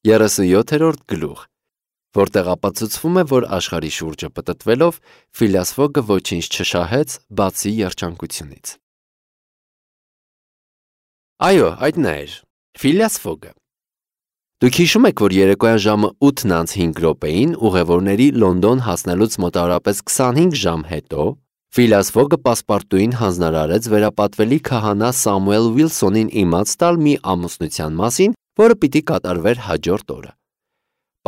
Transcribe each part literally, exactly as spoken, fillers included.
երեսունյոթերորդ գլուխ, որտեղ ապացուցվում է, որ աշխարհի շուրջը պտտվելով Ֆիլիաս Ֆոգը ոչինչ չշահեց, բացի երջանկությունից։ Այո, այդ նա էր, Ֆիլիաս Ֆոգը։ Դուք հիշում եք, որ երեկոյան ժամը ութն անց հինգ րոպեին ուղևորների Լոնդոն հասնելուց մոտավորապես քսանհինգ ժամ հետո Ֆիլիաս Ֆոգը պասպարտուին հանձնարարեց վերապատվելի քահանա Սամուել Ուիլսոնին իմաց տալ մի ամուսնության մասին, որը պիտի կատարվեր հաջորդ օրը։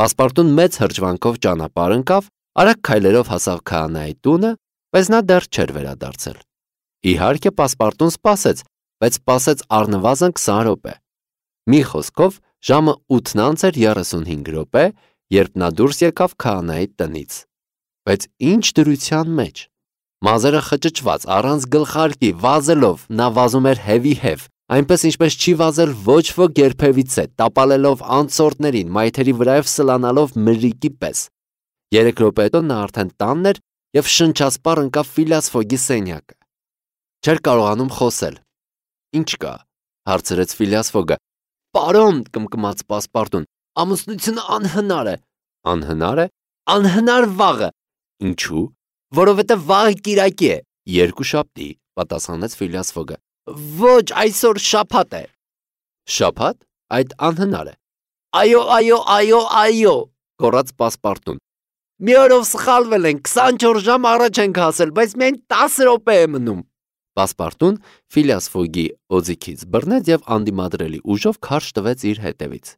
Պասպարտուն մեծ հրճվանքով ճանապարհ ընկավ, արագ քայլերով հասավ քահանայի տունը, բայց նա դեռ չէր վերադարձել։ Իհարկե, պասպարտուն սպասեց, բայց սպասեց առնվազն քսան րոպե։ Մի խոսքով, ժամը ութն անց էր երեսունհինգ րոպե, երբ նա դուրս եկավ քահանայի տնից։ Բայց ինչ դրության մեջ։ Մազերը խճճված, առանց գլխարկի, վազելով, նա վազում էր հևի-հև, այնպես ինչպես չի վազել ոչ ոք երբևիցե, տապալելով անցորդներին, մայթերի վրայով սլանալով մրրիկի պես։ Երեք րոպե հետո նա արդեն տանն էր և շնչասպառ ընկավ Ֆիլիաս Ֆոգի սենյակը։ Չէր կարողանում խոսել։ Ինչ կա, հարցրեց Ֆիլիաս Ֆոգը։ Պարոն, կմկմաց պասպարտուն, ամուսնությունը անհնար է։ Անհնար է։ Անհնար վաղը։ Ինչու։ Որովհետև վաղը կիրակի է։ Երկուշաբթի, պատասխանեց Ֆիլիաս Ֆոգը։ Ոչ, այսօր շաբաթ է։ Շաբաթ։ Այդ անհնար է։ Այո, այո, այո, այո, գոռաց պասպարտուն։ Մի օրով սխալվել ենք, քսանչորս ժամ առաջ ենք հասել, բայց միայն տասը րոպե է մնում։ Պասպարտուն Ֆիլիաս Ֆոգի օձիքից բռնեց և անդիմադրելի ուժով քարշ տվեց իր հետևից։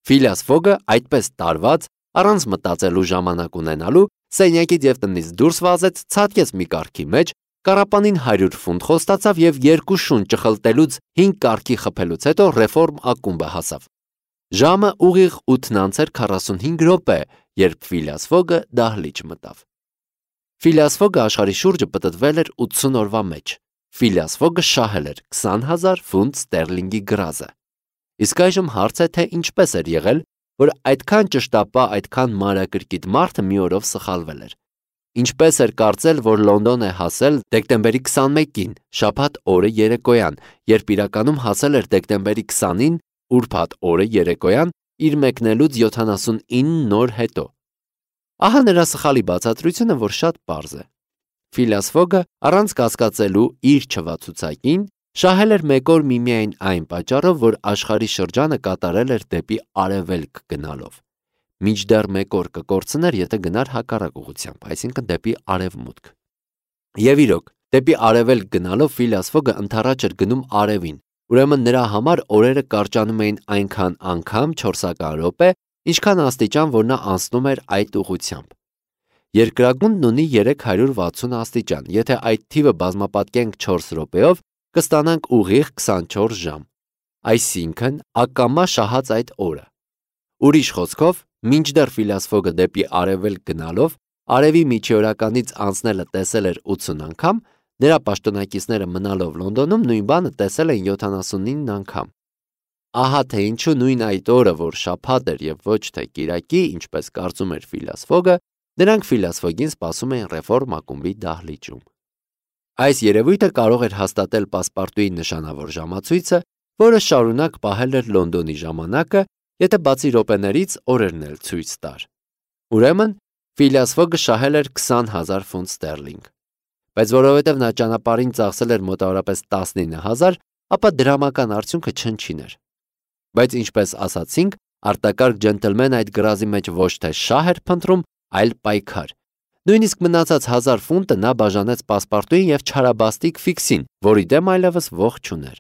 Ֆիլիաս Ֆոգը այդպես տարված, առանց մտածելու ժամանակ ունենալու, սենյակից և տնից դուրս վազեց, ցատկեց մի կառքի մեջ, կառապանին հարյուր ֆունտ խոստացավ և երկու շուն ճխլտելուց հինգ կառքի խփելուց հետո ռեֆորմ ակումբը հասավ։ Ժամը ուղիղ ութն անց էր քառասունհինգ րոպե, երբ Ֆիլիաս Ֆոգը դահլիճ մտավ։ Ֆիլիաս Ֆոգը աշխարհի շուրջը պտտվել էր ութսուն օրվա մեջ։ Ֆիլիաս Ֆոգը շահել էր քսան հազար ֆունտ ստերլինգի գրազը։ Իսկ այժմ հարց է, թե ինչպես էր եղել, որ այդքան ճշտապահ, այդքան մանրակրկիտ մարդը մի օրով սխալվել էր։ Ինչպես էր կարծել, որ Լոնդոն է հասել դեկտեմբերի քսանմեկին, շաբաթ օրը երեկոյան, երբ իրականում հասել էր դեկտեմբերի քսանին, ուրբաթ օրը երեկոյան, իր մեկնելուց յոթանասունինը օր հետո։ Ահա նրա սխալի բացատրությունը, որ շատ պարզ է։ Ֆիլիաս Ֆոգը, առանց կասկածելու իր չվացուցակին, շահել էր մեկ օր միմիայն այն պատճառով, որ աշխարհի շրջանը կատարել էր դեպի արևելք գնալով։ Մինչդեռ մեկ օր կկորցներ, եթե գնար հակառակ ուղղությամբ, այսինքն դեպի արևմուտք։ Եվ իրոք, դեպի արևելք գնալով Ֆիլիաս Ֆոգը ընդառաջ էր գնում արևին, ուրեմն նրա համար օրերը կարճանում էին այնքան անգամ չորսական րոպե, ինչքան աստիճան, որ նա անցնում էր այդ ուղղությամբ։ Երկրագունդն ունի երեք հարյուր վաթսուն աստիճան, եթե այդ թիվը բազմապատկենք չորս րոպեով, կստանանք ուղիղ քսանչորս ժամ, այսինքն ակամա շահած այդ օրը։ Ուրիշ խոսքով, մինչդեռ Ֆիլիաս Ֆոգը դեպի արևելք գնալով արևի միջօրականից անցնելը տեսել էր ութսուն անգամ, նրա պաշտոնակիցները մնալով Լոնդոնում նույն բանը տեսել են յոթանասունինը անգամ։ Ահա թե ինչու նույն այդ օրը, որ շաբաթ էր և ոչ թե կիրակի, ինչպես կարծում էր Ֆիլիաս Ֆոգը, նրանք Ֆիլիաս Ֆոգին սպասում էին ռեֆորմ ակումբի դահլիճում։ Այս երևույթը կարող էր հաստատել պասպարտուի նշանավոր ժամացույցը, որը շարունակ պահել էր Լոնդոնի ժամանակը, եթե բացի րոպեներից օրերն էլ ցույց տար։ Ուրեմն Ֆիլիաս Ֆոգը շահել էր քսան հազար ֆունտ ստերլինգ։ Բայց որովհետև նա ճանապարհին ծախսել էր մոտավորապես տասնինը հազար, ապա դրամական արդյունքը չնչին էր։ Բայց ինչպես ասացինք, արտակարգ ջենտլմենը այդ գրազի մեջ ոչ թե շահ էր փնտրում, այլ պայքար։ Նույնիսկ մնացած հազար ֆունտը նա բաժանեց պասպարտուին և չարաբաստիկ Ֆիքսին, որի դեմ այլևս ողջ չուներ։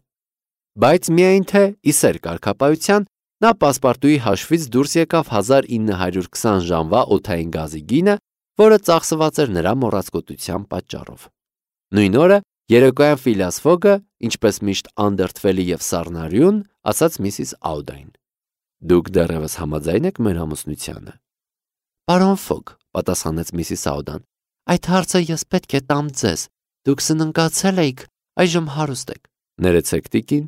Բայց միայն թե ի սեր կարգապահության, նա պասպարտուի հաշվից դուրս եկավ հազար ինը հարյուր քսան ժամվա օդային գազի գինը, որը ծախսված էր նրա մոռացկոտության պատճառով։ Նույն օրը երեկոյան Ֆիլիաս Ֆոգը, ինչպես միշտ անդրդվելի և սառնարյուն, ասաց միսիս Աուդային. Դուք դեռևս համաձայն եք մեր ամուսնությանը։ Պարոն Ֆոգ, պատասխանեց միսիս Աուդան, այդ հարցը ես պետք է տամ ձեզ։ Դուք սննկացել էիք, այժմ հարուստ եք։ Ներեցեք, տիկին,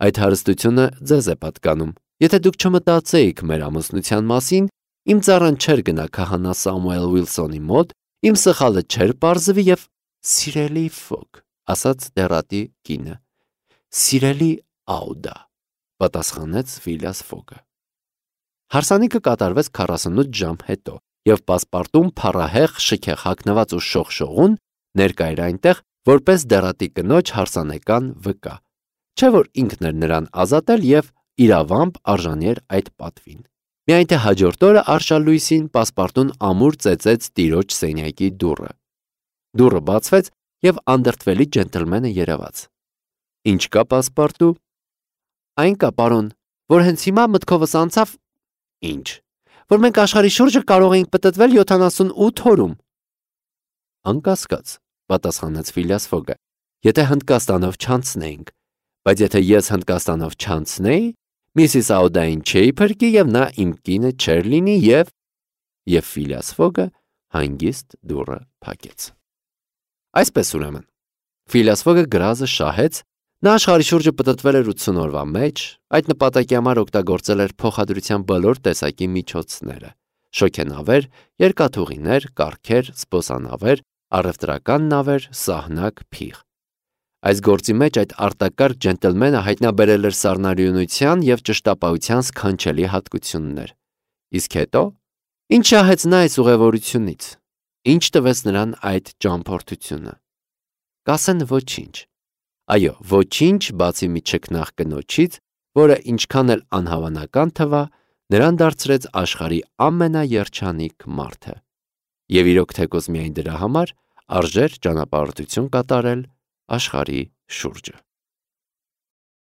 այդ հարստությունը ձեզ է պատկանում։ Եթե դուք չմտածեիք մեր ամուսնության մասին, իմ ծառան չէր գնա քահանա Սամուել Ուիլսոնի մոտ, իմ սխալը չէր պարզվի և սիրելի Ֆոգ, ասաց դեռատի կինը։ Սիրելի Աուդա, պատասխանեց Ֆիլիաս Ֆոգը։ Հարսանիքը կատարվեց քառասունութ ժամ հետո, եւ պասպարտում փառահեղ շքեղ հագնված ու շողշողուն ներկա էր այնտեղ որպես դեռատի կնոջ հարսանեկան վկա, չէ որ ինքն էր նրան ազատել եւ իրավամբ արժանի էր այդ պատվին։ Միայն թե հաջորդ օրը արշալույսին պասպարտուն ամուր ծեծեց տիրոջ սենյակի դուռը։ Դուռը բացվեց եւ անդրդվելի ջենտլմենը երևաց։ Ինչ կա պասպարտու։ Այն կա, պարոն, որ հենց հիմա մտքովս անցավ։ Ինչ, որ մենք աշխարհի շուրջը կարող էինք պտտվել յոթանասունութ օրում։ Անկասկած, պատասխանեց Ֆիլիաս Ֆոգը, եթե Հնդկաստանով չանցնեինք, բայց եթե ես Հնդկաստանով չանցնեի, Միսիս Աուդային չէի փրկի եւ նա իմ կինը չէր լինի եւ եւ Ֆիլիաս Ֆոգը հանգիստ դուռը փակեց։ Այսպես ուրեմն, Ֆիլիաս Ֆոգը գրազը շահեց, նա աշխարհի շուրջը պտտվել էր ութսուն օրվա մեջ, այդ նպատակի համար օգտագործել էր փոխադրության բոլոր տեսակի միջոցները՝ շոգենավեր, երկաթուղիներ, կառքեր, սպոսանավեր, առևտրական նավեր, սահնակ, փիղ։ Այս գործի մեջ այդ արտակարգ ջենտլմենը հայտնաբերել էր սառնարյունության եւ ճշտապահության սքանչելի հատկություններ։ Իսկ հետո ինչ շահեց նա այս ուղևորությունից, ինչ տվեց նրան այդ ճամփորդությունը։ Կասեն ոչինչ։ Այո, ոչինչ, բացի մի չքնաղ կնոջից, որը ինչքան էլ անհավանական թվա, նրան դարձրեց աշխարհի ամենաերջանիկ մարդը։ Եվ իրոք թեկոս միայն դրա համար արժեր ճանապարհորդություն կատարել աշխարհի շուրջը։